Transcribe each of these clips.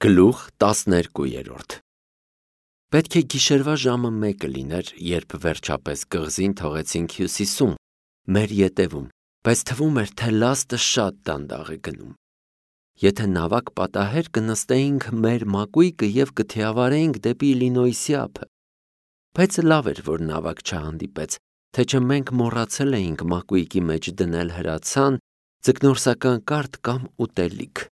Գլուխ 12 Պետք է գիշերվա ժամը 1 լիներ, երբ վերջապես կղզին թողեցինք հյուսիսում, մեր ետևում, բայց թվում էր, թե լաստը շատ դանդաղ է գնում։ Եթե նավակ պատահեր, կնստեինք մեր մակույկը և կթիավարեինք դեպի Իլինոյսի ափը։ Բայց լավ էր, որ նավակ չհանդիպեց, թե չէ մենք մոռացել էինք մակույկի մեջ դնել հրացան, ձկնորսական կարդ կամ ուտելիք։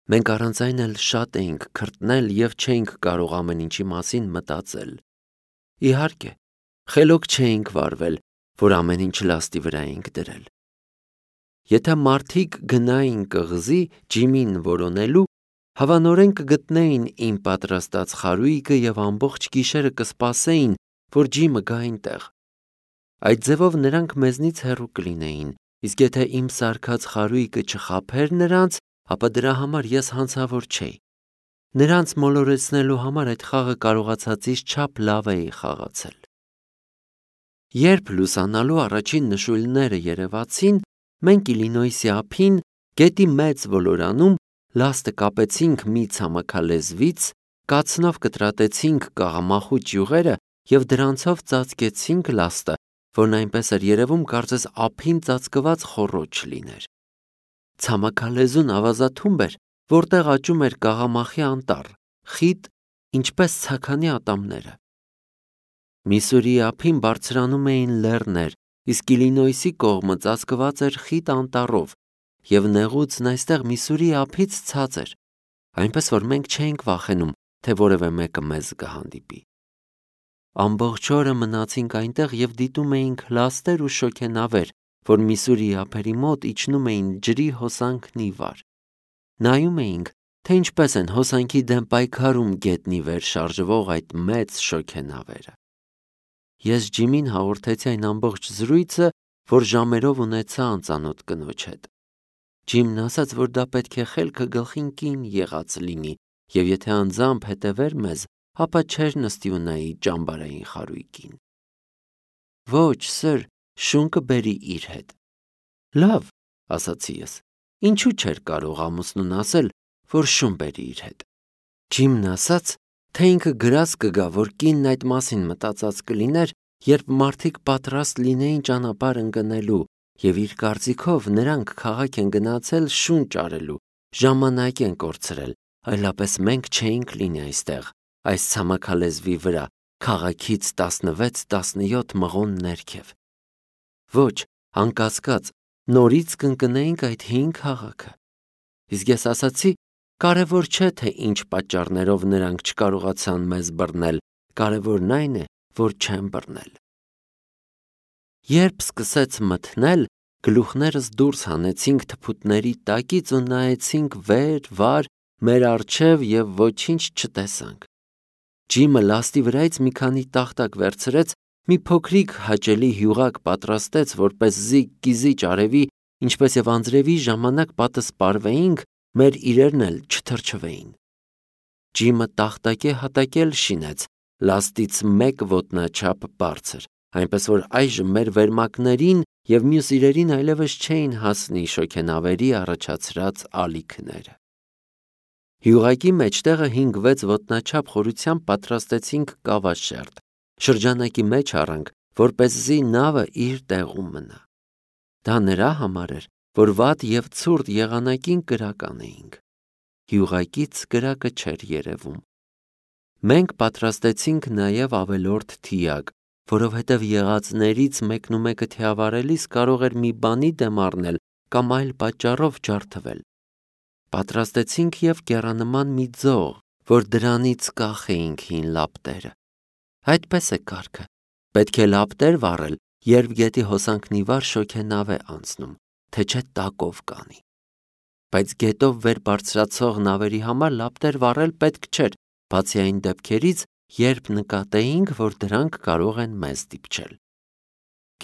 Մենք առանց այն էլ շատ էինք քրտնել և չէինք կարող ամեն ինչի մասին մտածել։ Իհարկե, խելոք չէինք վարվել, որ ամեն ինչ լաստի վրա էինք դրել։ Եթե մարդիկ գնային կղզի Ջիմին որոնելու, հավանորեն կգտնեին իմ պատրաստած խարույկը և ամբողջ գիշերը կսպասեին, որ Ջիմը գա այնտեղ։ Այդ ձևով նրանք մեզնից հեռու կլինեին, իսկ եթե իմ սարքած խարույկը չխաբեր նրանց, ապա դրա համար ես հանցավոր չէի։ Նրանց մոլորեցնելու համար այդ խաղը կարողացածից չափ լավ էի խաղացել։ Երբ լուսանալու առաջին նշույլները երևացին, մենք Իլինոյսի ափին, գետի մեծ ոլորանում, լաստը կապեցինք մի ցամաքալեզվից, կացնով կտրատեցինք կաղամախու ճյուղերը և դրանցով ծածկեցինք լաստը, որն այնպես էր երևում, կարծես ափին ծածկված խոռոչ լիներ։ Ցամաքալեզուն ավազաթումբ էր, որտեղ աճում էր կաղամախի անտառ, խիտ, ինչպես ցաքանի ատամները։ Միսուրիի ափին բարձրանում էին լեռներ, իսկ Իլինոյսի կողմը ծածկված էր խիտ անտառով, և նեղուցն այստեղ Միսուրիի ափից ցած էր, այնպես որ մենք չէինք վախենում, թե որևէ մեկը մեզ կհանդիպի։ Ամբողջ օրը մնացինք այնտեղ և դիտում էինք լաստեր ու շոգենավեր, որ Միսուրիի ափերի մոտ իջնում էին ջրի հոսանքն ի վար։ Նայում էինք, թե ինչպես են հոսանքի դեմ պայքարում գետնի վեր շարժվող այդ մեծ շոգենավերը։ Ես Ջիմին հաղորդեցի այն ամբողջ զրույցը, որ ժամերով ունեցա անծանոթ կնոջ հետ։ Ջիմն ասաց, որ դա պետք է խելքը գլխին կին եղած լինի, և եթե անձամբ հետևեր մեզ, ապա չէր նստի ու նայի ճամբարային խարույկին։ Ոչ, սըր, շուն կբերի իր հետ։ Լավ, ասացի ես, ինչու չէր կարող ամուսնուն ասել, որ շուն բերի իր հետ։ Ջիմն ասաց, թե ինքը գրած կգա, որ կինն այդ մասին մտածած կլիներ, երբ մարդիկ պատրաստ լինեին ճանապարհ ընկնելու, և իր կարծիքով նրանք քաղաք են գնացել շուն ճարելու, ժամանակ են կորցրել, այլապես մենք չէինք լինի այստեղ, այս ցամաքալեզվի վրա, քաղաքից 16-17 մղոն ներքև։ Ոչ, անկասկած, նորից կընկնեինք այդ հին քաղաքը։ Իսկ ես ասացի, կարևոր չէ, թե ինչ պատճառներով նրանք չկարողացան մեզ բռնել, կարևորն այն է, որ չեն բռնել։ Երբ սկսեց մթնել, գլուխներս դուրս հանեցինք թփուտների տակից ու նայեցինք վեր, վար, մեր առջև և ոչինչ չտեսանք։ Ջիմը լաստի վրայից մի քանի տախտակ վերցրեց, մի փոքրիկ հաճելի հյուղակ պատրաստեց, որպեսզի կիզիչ արևի, ինչպես և անձրևի ժամանակ պատսպարվեինք, մեր իրերն էլ չթրջվեին։ Ջիմը տախտակե հատակել շինեց, լաստից 1 ոտնաչափ բարձր, այնպես որ այժմ մեր վերմակներին և մյուս իրերին այլևս չէին հասնի շոգենավերի առաջացրած ալիքները։ Հյուղակի մեջտեղը 5-6 ոտնաչափ խորությամբ պատրաստեցինք կավաշերտ, շրջանակի մեջ առանք, որպեսզի նավը իր տեղում մնա։ Դա նրա համար էր, որ վատ և ցուրտ եղանակին կրակ անեինք։ Հյուղակից կրակը չէր երևում։ Մենք պատրաստեցինք նաև ավելորդ թիակ, որովհետև եղածներից մեկնումեկը թիավարելիս կարող էր մի բանի դեմ առնել կամ այլ պատճառով ջարդվել։ Պատրաստեցինք և կեռանման մի ձող, որ դրանից կախեինք հին լապտերը։ Այդպես է կարգը։ Պետք է լապտեր վառել, երբ գետի հոսանքն ի վար շոգենավ է անցնում, թե չէ տակով կանի։ Բայց գետով վեր բարձրացող նավերի համար լապտեր վառել պետք չէր, բացի այն դեպքերից, երբ նկատեինք, որ դրանք կարող են մեզ դիպչել։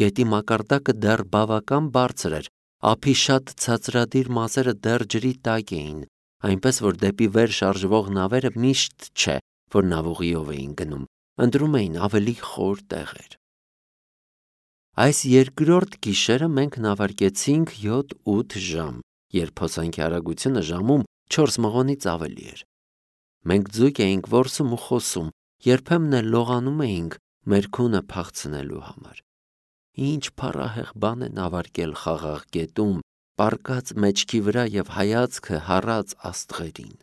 Գետի մակարդակը դեռ բավական բարձր էր, ափի շատ ցածրադիր մասերը դեռ ջրի տակ էին, այնպես որ դեպի վեր շարժվող նավերը միշտ չէ, որ նավուղիով էին գնում, ընտրում էին ավելի խոր տեղեր։ Այս երկրորդ գիշերը մենք նավարկեցինք 7-8 ժամ, երբ հոսանքի արագությունը ժամում 4 մղոնից ավելի էր։ Մենք ձուկ էինք որսում ու խոսում, երբեմն էլ լողանում էինք մեր քունը փախցնելու համար։ Ինչ փառահեղ բան է նավարկել խաղաղ գետում, պառկած մեջքի վրա եւ հայացքը հառած աստղերին։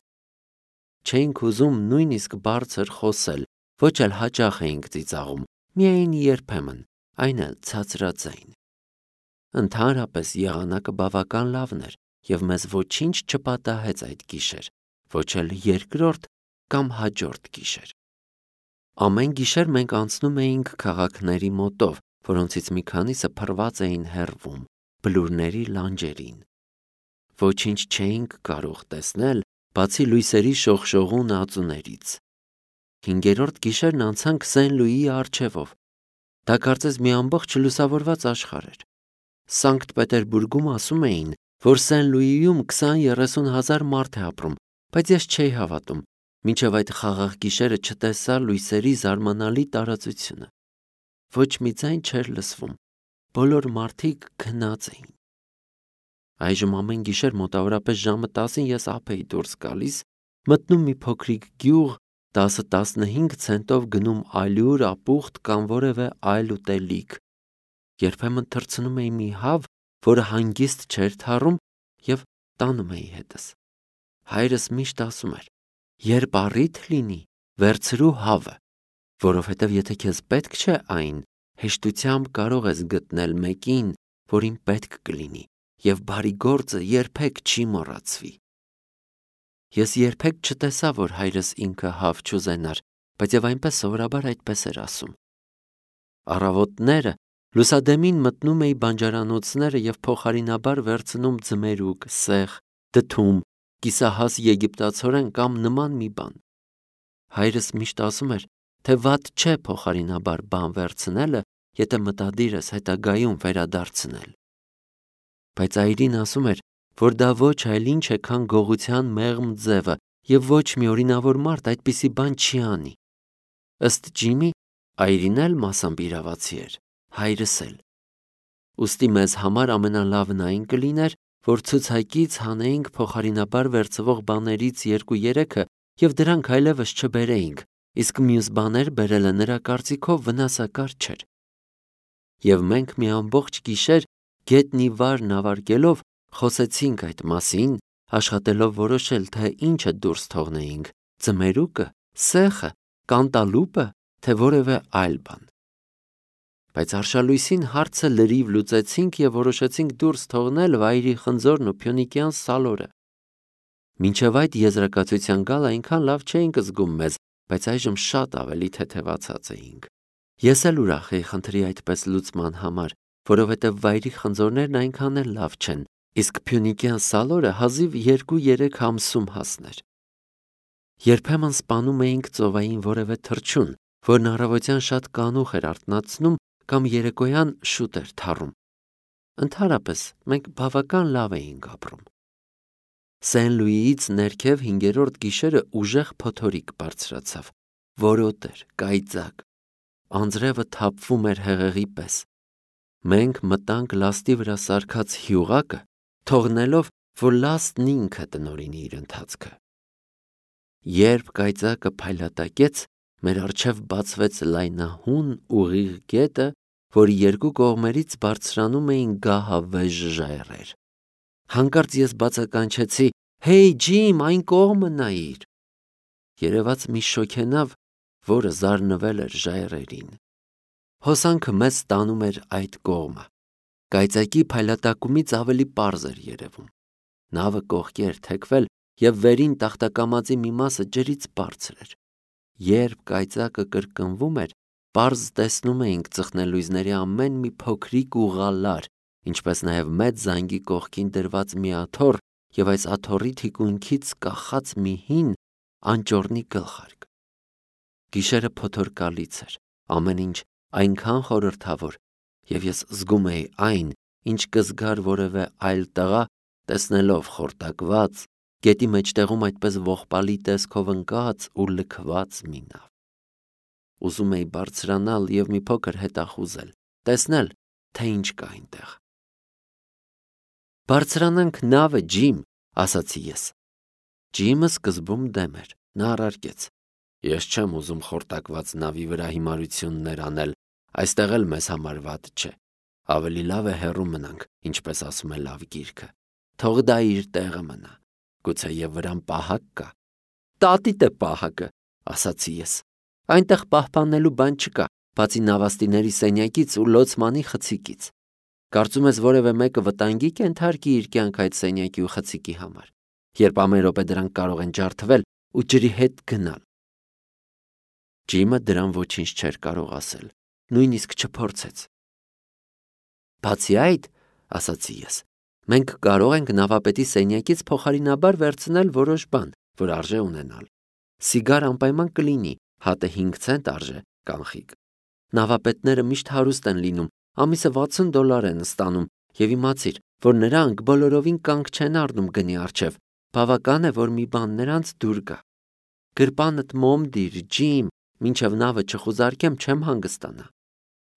Չէինք ուզում նույնիսկ բարձր խոսել, ոչ էլ հաճախ էինք ծիծաղում, միայն երբեմն, այն էլ ցածրաձայն։ Ընդհանրապես եղանակը բավական լավն էր եւ մեզ ոչինչ չպատահեց այդ գիշեր, ոչ էլ երկրորդ կամ հաջորդ գիշեր։ Ամեն գիշեր մենք անցնում էինք քաղաքների մոտով, որոնցից մի քանիսը փռված էին հեռվում, բլուրների լանջերին։ Ոչինչ չէինք կարող տեսնել, բացի լույսերի շողշողուն ածուներից։ 5-րդ գիշերն անցանք Սեն-Լուիի առջևով։ Դա կարծես մի ամբողջ լուսավորված աշխարհ էր։ Սանկտ Պետերբուրգում ասում էին, որ Սեն-Լուիում 20-30 հազար մարդ է ապրում, բայց ես չէի հավատում, մինչև այդ խաղաղ գիշերը չտեսա լույսերի զարմանալի տարածությունը։ Ոչ մի ձայն չէր լսվում, բոլոր մարդիկ քնած էին։ Այժմ ամեն գիշեր մոտավորապես ժամը 10-ին ես ափ էի դուրս գալիս, մտնում մի փոքրիկ գյուղ, 10-15 ցենտով գնում ալյուր, ապուխտ կամ որևէ այլ ուտելիք։ Երբեմն թռցնում էի մի հավ, որը հանգիստ չէր թառում, եւ տանում էի հետս։ Հայրս միշտ ասում էր. «Երբ առիթ լինի, վերցրու հավը, որովհետև եթե քեզ պետք չէ այն, հեշտությամբ կարող ես գտնել մեկին, որին պետք կլինի, եւ բարի գործը երբեք չի մոռացվի»։ Ես երբեք չտեսա, որ հայրս ինքը հավ չուզենար, բայց եւ այնպես սովորաբար այդպես էր ասում։ Առավոտները լուսադեմին մտնում էի բանջարանոցները եւ փոխարինաբար վերցնում ձմերուկ, սեխ, դդում, կիսահաս եգիպտացորեն կամ նման մի բան։ Հայրս միշտ ասում էր, թե վատ չէ փոխարինաբար բան վերցնելը, եթե մտադիր ես հետագայում վերադարձնել։ Բայց այրին ասում էր, որ դա ոչ այլ ինչ է, քան գողության մեղմ ձևը, եւ ոչ մի օրինավոր մարդ այդպիսի բան չի անի։ Ըստ Ջիմի, այրին էլ մասամբ իրավացի էր, հայրս էլ։ Ուստի մեզ համար ամենալավն այն կլիներ, որ ցուցակից հանեինք փոխարինաբար վերցվող բաներից 2-3-ը եւ դրանք այլևս չբերեինք, իսկ մյուս բաներ բերելը նրա կարծիքով վնասակար չէր։ Եվ մենք մի ամբողջ գիշեր գետնի վար նավարկելով խոսեցինք այդ մասին, աշխատելով որոշել, թե ինչը դուրս թողնեինք՝ ձմերուկը, սեխը, կանտալուպը, թե որևէ այլ բան։ Բայց արշալույսին հարցը լրիվ լուծեցինք եւ որոշեցինք դուրս թողնել վայրի խնձորն ու փյունիկյան սալորը։ Մինչև այդ եզրակացության գալ այնքան լավ չէինք զգում մեզ, բայց այժմ շատ ավելի թեթևացած էինք։ Ես էլ ուրախ էի խնդրի այդպես լուծման համար, որովհետև վայրի խնձորներն այնքան էլ լավ չեն, իսկ փյունիկյան սալորը հազիվ 2-3 ամսում հասներ։ Երբեմն սպանում էինք ծովային որևէ թռչուն, որն առավոտյան շատ կանուխ էր արթնացնում կամ երեկոյան շուտ էր թառում։ Ընդհանրապես մենք բավական լավ էինք ապրում։ Սեն-Լուիից ներքև 5-րդ գիշերը ուժեղ փոթորիկ բարձրացավ, որոտ էր, կայծակ։ Անձրևը թափվում էր հեղեղի պես։ Մենք մտանք լաստի վրա սարքած հյուղակը, թողնելով, որ լաստն ինքը տնօրինի իր ընթացքը։ Երբ կայծակը փայլատակեց, մեր առջև բացվեց լայնահուն ուղիղ գետը, որի երկու կողմերից բարձրանում էին գահավեժ ժայռեր։ Հանկարծ ես բացականչեցի. «Հեյ, Ջիմ, այն կողմը նայիր»։ Երևաց մի շոգենավ, որը զարնվել էր ժայռերին։ Հոսանքը մեզ տանում էր այդ կողմը։ Կայծակի փայլատակումից ավելի պարզ էր երևում։ Նավը կողքի էր թեքվել եւ վերին տախտակամածի մի մասը ջրից բարձր էր։ Երբ կայծակը կրկնվում էր, պարզ տեսնում էինք ծխնելույզների ամեն մի փոքրիկ ուղալար, ինչպես նաեւ մեծ զանգի կողքին դրված մի աթոռ եւ այս աթոռի թիկունքից կախած մի հին անճոռնի գլխարկ։ Գիշերը փոթորկալից էր, ամեն ինչ այնքան խորհրդավոր, եւ ես զգում էի այն, ինչ կզգար որևէ այլ տղա, տեսնելով խորտակված, գետի մեջտեղում այդպես ողբալի տեսքով ընկած ու լքված մի նավ։ Ուզում էի բարձրանալ եւ մի փոքր հետախուզել, տեսնել, թե ինչ կա այնտեղ։ «Բարձրանանք նավը, Ջիմ», ասացի ես։ Ջիմը սկզբում դեմ էր, նա առարկեց. Ես չեմ ուզում խորտակված նավի վրա հիմարություններ անել, այստեղ էլ մեզ համար վատ չէ։ Ավելի լավ է հեռու մնանք, ինչպես ասում է լավ գիրքը։ Թող դա իր տեղը մնա։ Գուցե եւ վրան պահակ կա։ Տատիտ է պահակը, ասացի ես։ Այնտեղ պահպանելու բան չկա, բացի նավաստիների սենյակից ու լոցմանի խցիկից։ Կարծում ես որևէ մեկը վտանգի կենթարկի իր կյանք այդ սենյակի ու խցիկի համար, երբ ամեն րոպե դրանք կարող են ջարդվել ու ջրի հետ գնալ։ Ջիմը դրան ոչինչ չէր կարող ասել, նույնիսկ չփորձեց։ Բացի այդ, ասացի ես, մենք կարող ենք նավապետի սենյակից փոխարինաբար վերցնել որոշ բան, որ արժե ունենալ։ Սիգար անպայման կլինի, հատը 5 ցենտ արժե, կանխիկ։ Նավապետները միշտ հարուստ են լինում, ամիսը $60 են ստանում, եւ իմացիր, որ նրանք բոլորովին կանգ չեն առնում գնի առջև, բավական է, որ մի բան նրանց դուր գա։ Գրպանդ մոմ դիր, Ջիմ, մինչև նավը չխուզարկեմ, չեմ հանգստանա։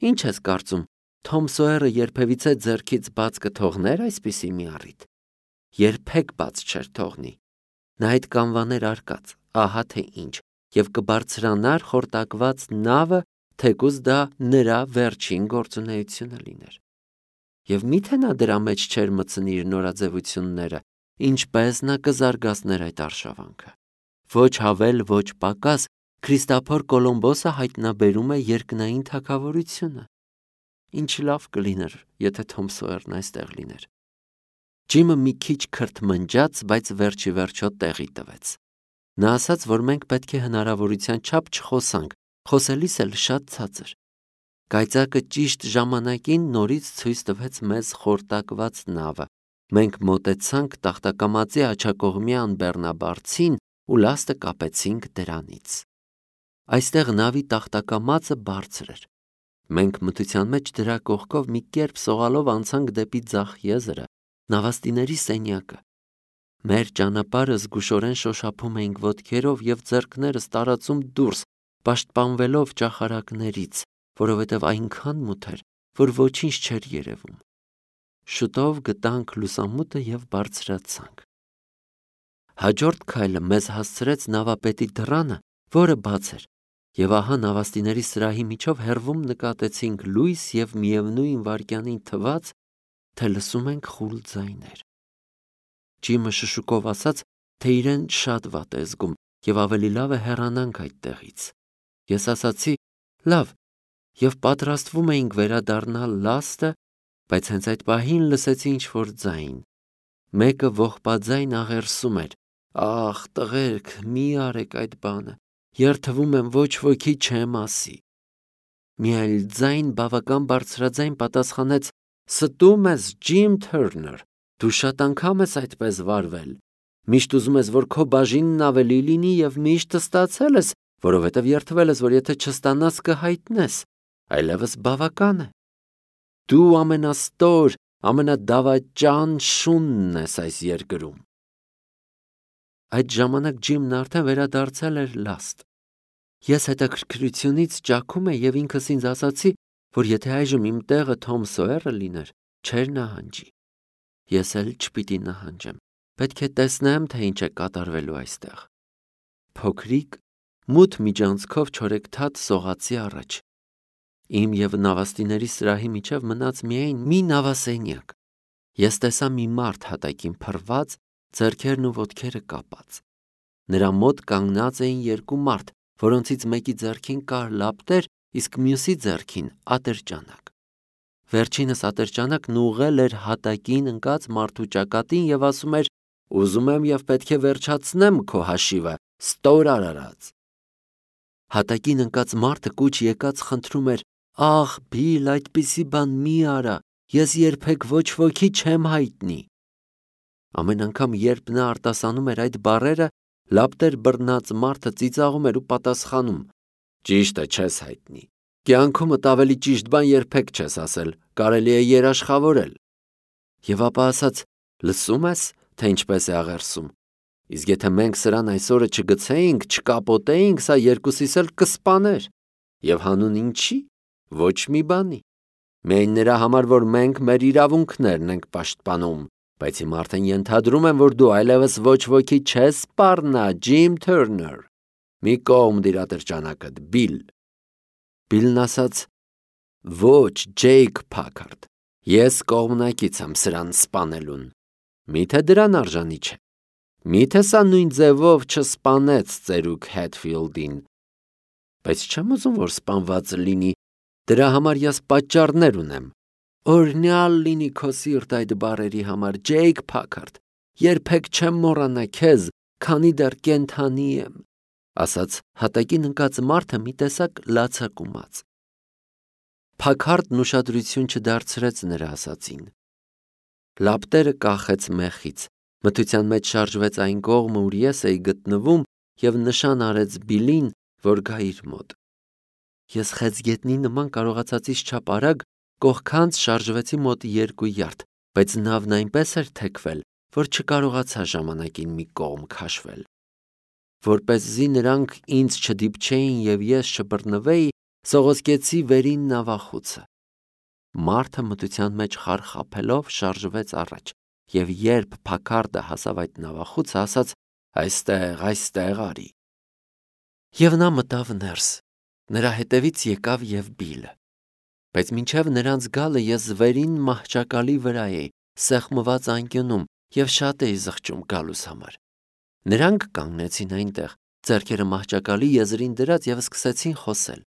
Ինչ ես կարծում, Թոմ Սոյերը երբևիցե ձեռքից բաց կթողներ այսպիսի մի առիթ։ Երբեք բաց չէր թողնի։ Նա այդ կանվաներ արկած, ահա թե ինչ, եւ կբարձրանար խորտակված նավը, թեկուզ դա նրա վերջին գործունեությունը լիներ։ Եվ միթե նա դրա մեջ չէր մտցնի իր նորաձևությունները, ինչպես նա կզարգացներ այդ արշավանքը։ Ոչ հավել, ոչ պակաս, Քրիստոփոր Կոլոմբոսը հայտնաբերում է երկնային թագավորությունը։ Ինչ լավ կլիներ, եթե Թոմ Սոյերն այստեղ լիներ։ Ջիմը մի քիչ քրթմնջաց, բայց վերջի վերջո տեղի տվեց։ Նա ասաց, որ մենք պետք է հնարավորության չափ չխոսանք, խոսելիս էլ շատ ցածր։ Կայծակը ճիշտ ժամանակին նորից ցույց տվեց մեզ խորտակված նավը։ Մենք մոտեցանք տախտակամածի աջակողմյան բեռնաբարձին ու լաստը կապեցինք դրանից։ Այստեղ նավի տախտակամածը բարձր էր։ Մենք մթության մեջ դրա կողքով մի կերպ սողալով անցանք դեպի ձախ եզրը, նավաստիների սենյակը։ Մեր ճանապարհը զգուշորեն շոշափում էինք ոտքերով եւ ձեռքներս տարածում դուրս, պաշտպանվելով ճախարակներից, որովհետև այնքան մութ էր, որ ոչինչ չէր երևում։ Շուտով գտանք լուսամուտը եւ բարձրացանք։ Հաջորդ քայլը մեզ հասցրեց նավապետի դռանը, որը բաց էր, եւ ահա նավաստիների սրահի միջով հեռվում նկատեցինք լույս եւ միևնույն վայրկյանին թվաց, թե լսում ենք խուլ ձայներ։ Ջիմը շշուկով ասաց, թե իրեն շատ վատ է զգում եւ ավելի լավ է հեռանանք այդտեղից։ Ես ասացի. լավ, եւ պատրաստվում էինք վերադառնալ լաստը, բայց հենց այդ պահին լսեցի ինչ-որ ձայն։ Մեկը ողբաձայն աղերսում էր. «Ախ, տղերք, մի արեք այդ բանը, երթվում եմ, ոչ ոքի չեմ ասի»։ Մի այլ ձայն բավական բարձրաձայն պատասխանեց. «Ստում ես, Ջիմ Թըրներ, դու շատ անգամ ես այդպես վարվել։ Միշտ ուզում ես, որ քո բաժինն ավելի լինի եւ միշտ ստացել ես, որովհետեւ երթվել ես, որ եթե չստանաս կհայտնես, այլևս բավական է։ Դու ամենաստոր, ամենադավաճան շունն ես այս երկրում»։ Այդ ժամանակ Ջիմն արդեն վերադարձել էր լաստ։ Ես հետաքրքրությունից ճաքում էի եւ ինքս ինձ ասացի, որ եթե այժմ իմ տեղը Թոմ Սոյերը լիներ, չէր նահանջի։ Ես էլ չպիտի նահանջեմ։ Պետք է տեսնեմ, թե ինչ է կատարվելու այստեղ։ Փոքրիկ, մութ միջանցքով չորեքթաթ սողացի առաջ։ Իմ եւ նավաստիների սրահի միջև մնաց միայն մի նավասենյակ։ Ես տեսա մի մարդ հատակին փռված, ձեռքերն ու ոտքերը կապած։ Նրա մոտ կանգնած էին երկու մարդ, որոնցից մեկի ձեռքին կար լապտեր, իսկ մյուսի ձեռքին ատրճանակ։ Վերջինս ատրճանակն ուղղել էր հատակին ընկած մարդու ճակատին եւ ասում էր. «Ուզում եմ եւ պետք է վերջացնեմ քո հաշիվը, ստոր արարած»։ Հատակին ընկած մարդը կուչ եկած խնդրում էր. «Ախ, Բիլ, այդպիսի բան մի արա, ես երբեք ոչ ոքի չեմ հայտնի»։ Ամեն անգամ, երբ նա արտասանում էր այդ բառերը, լապտեր բռնած մարդը ծիծաղում էր ու պատասխանում. «Ճիշտ է, չես հայտնի։ Կյանքումդ ավելի ճիշտ բան երբեք չես ասել, կարելի է երաշխավորել»։ Եվ ապա ասաց. «Լսում ես, թե ինչպես է աղերսում։ Իսկ եթե մենք սրան այսօրը չգցեինք, չկապոտեինք, սա երկուսիս էլ կսպաներ։ Եվ հանուն ինչի։ Ոչ մի բանի։ Միայն նրա համար, որ մենք մեր իրավունքներն ենք պաշտպանում, բայց հիմա արդեն ենթադրում եմ, որ դու այլևս ոչ ոքի չես սպառնա, Ջիմ Թերներ։ Մի կողմ դիր ատրճանակդ, Բիլ։ Բիլն ասաց. ոչ, Ջեյք Փաքարդ, ես կողմնակից եմ սրան սպանելուն։ Միթե դրան արժանի չէ։ Միթե սա նույն ձևով չսպանեց ծերուկ Հետֆիլդին։ Բայց չեմ ուզում, որ սպանված լինի, դրա համար ես պատճառներ ունեմ։ Օրհնյալ լինի քո սիրտ այդ բառերի համար, Ջեյք Փաքարդ, երբեք չեմ մոռանա քեզ, քանի դեռ կենդանի եմ, ասաց հատակին ընկած մարդը մի տեսակ լացակումած։ Փաքարդն ուշադրություն չդարձրեց նրա ասածին։ Լապտերը կախեց մեխից, մթության մեջ շարժվեց այն կողմը, ուր ես էի գտնվում, և նշան արեց Բիլին, որ գա իր մոտ։ Ես խեցգետնի նման կարողացածից չափ արագ կողքանց շարժվեցի մոտ 2 յարդ, բայց նավն այնպես էր թեքվել, որ չկարողացա ժամանակին մի կողմ քաշվել։ Որպեսզի նրանք ինձ չդիպչեին և ես չբռնվեի, սողոսկեցի վերին նավախուցը։ Մարդը մթության մեջ խարխափելով շարժվեց առաջ, և երբ Փաքարդը հասավ այդ նավախուցը, ասաց. այստեղ արի։ Եվ նա մտավ ներս, նրա հետևից եկավ և Բիլը։ Բայց մինչև նրանց գալը ես վերին մահճակալի վրա էի, սեղմված անկյունում և շատ էի զղջում գալուս համար։ Նրանք կանգնեցին այնտեղ, ձեռքերը մահճակալի եզրին դրած և սկսեցին խոսել։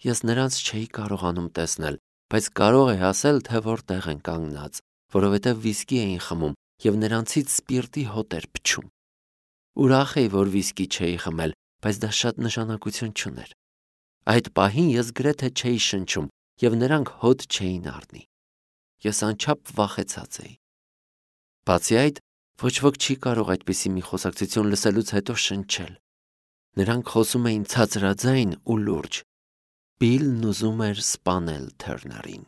Ես նրանց չէի կարողանում տեսնել, բայց կարող էի ասել, թե որտեղ են կանգնած, որովհետև վիսկի էին խմում և նրանցից սպիրտի հոտ էր փչում։ Ուրախ էի, որ վիսկի չէի խմել, բայց դա շատ նշանակություն չուներ։ Այդ պահին ես գրեթե չէի շնչում, և նրանք հոտ չէին առնի։ Ես անչափ վախեցած էի։ Բացի այդ, ոչ ոք չի կարող այդպիսի մի խոսակցություն լսելուց հետո շնչել։ Նրանք խոսում էին ցածրաձայն ու լուրջ։ Բիլն ուզում էր սպանել Թերներին։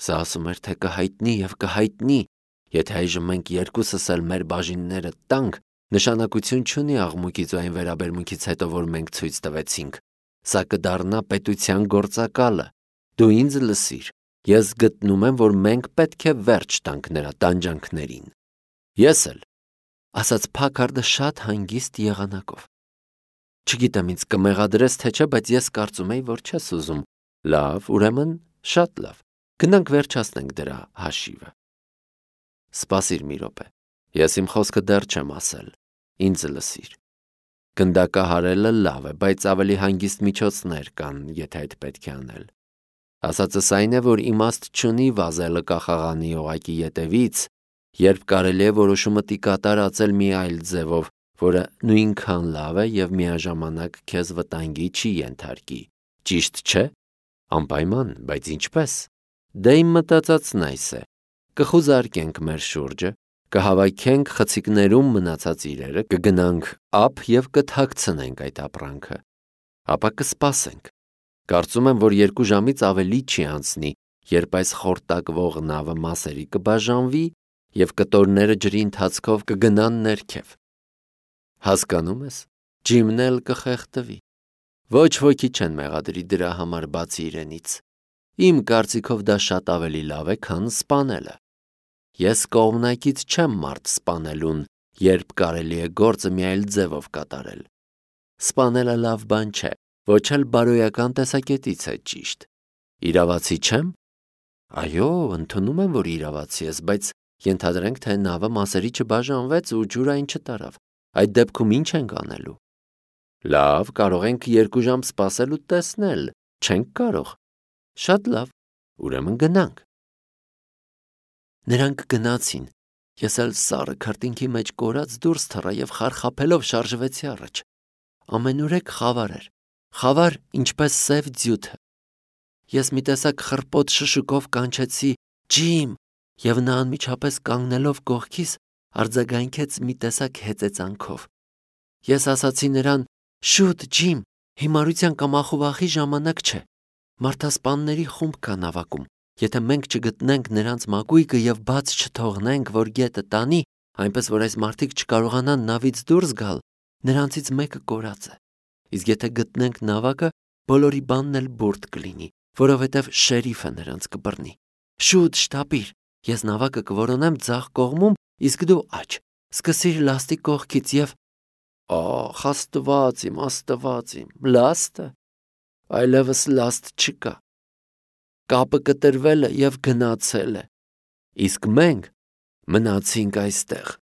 Սա ասում էր, թե կհայտնի և կհայտնի, եթե այժմ մենք երկուսս էլ մեր բաժինները տանք, նշանակություն չունի աղմուկից ու այն վերաբերմունքից հետո, որ մենք ցույց տվեցինք։ Սա կդառնա պետության գործակալը։ Դու ինձ լսիր, ես գտնում եմ, որ մենք պետք է վերջ տանք նրա տանջանքներին։ Ես էլ, ասաց Փաքարդը շատ հանգիստ եղանակով։ Չգիտեմ ինձ կմեղադրես թե չէ, բայց ես կարծում էի, որ չես ուզում։ Լավ, ուրեմն շատ լավ։ Գնանք վերջացնենք դրա հաշիվը։ Սպասիր մի րոպե։ Ես իմ խոսքը դեռ չեմ ասել։ Ինձ լսիր։ Գնդակահարելը լավ է, բայց ավելի հանգիստ միջոցներ կան, եթե այդ պետք է անել։ Ասածս այն է, որ իմաստ չունի վազելը կախաղանի օղակի ետևից, երբ կարելի է որոշումը տիկատարացել մի այլ ձևով, որը նույնքան լավ է և միաժամանակ քեզ վտանգի չի ենթարկի։ Ճիշտ չէ։ Անպայման, բայց ինչպես։ Դե իմ մտածածն այս է. կխուզարկենք մեր շուրջը, կհավաքենք խցիկներում մնացած իրերը, կգնանք ափ և կթաքցնենք այդ ապրանքը։ Ապա կսպասենք։ Կարծում եմ, որ 2 ժամից ավելի չի անցնի, երբ այս խորտակվող նավը մասերի կբաժանվի և կտորները ջրի ընթացքով կգնան ներքև։ Հասկանում ես, Ջիմն էլ կխեղդվի։ Ոչ ոքի չեն մեղադրի դրա համար բացի իրենից։ Իմ կարծիքով դա շատ ավելի լավ է, քան սպանելը։ Ես կողմնակից չեմ մարդ սպանելուն, երբ կարելի է գործը մի այլ ձևով կատարել։ Սպանելը լավ բան չէ, ոչ էլ բարոյական տեսակետից է ճիշտ։ Իրավացի չեմ։ Այո, ընդունում եմ, որ իրավացի ես, բայց ենթադրենք, թե նավը մասերի չբաժանվեց ու ջուր այն չտարավ։ Այդ դեպքում ինչ ենք անելու։ Լավ, կարող ենք 2 ժամ սպասել ու տեսնել։ Չենք կարող։ Շատ լավ, ուրեմն գնանք։ Նրանք գնացին։ Ես էլ սառը քրտինքի մեջ կորած դուրս թռա և խարխափելով շարժվեցի առաջ։ Ամենուրեք խավար էր։ Խավար, ինչպես սև ձյութը։ Ես մի տեսակ խռպոտ շշուկով կանչեցի. «Ջիմ», և նա անմիջապես կանգնելով կողքիս արձագանքեց մի տեսակ հեծեծանքով։ Ես ասացի նրան. «Շուտ, Ջիմ, հիմարության կամ ախուվախի ժամանակ չէ։ Մարդասպանների խումբ կա նավակում։ Եթե մենք չգտնենք նրանց մակույկը և բաց չթողնենք, որ գետը տանի, այնպես որ այս մարդիկ չկարողանան նավից դուրս գալ, նրանցից մեկը կորած է։ Իսկ եթե գտնենք նավակը, բոլորի բանն էլ բուրդ կլինի, որովհետև շերիֆը նրանց կբռնի։ Շուտ շտապիր, Ես նավակը կորոնեմ ձախ կողմում, իսկ դու աջ։ Սկսիր լաստի կողքից եւ ախ, Աստված իմ, լաստը։ Այլևս լաստ չկա։ Կապը կտրվել է եւ գնացել է։ Իսկ մենք մնացինք այստեղ։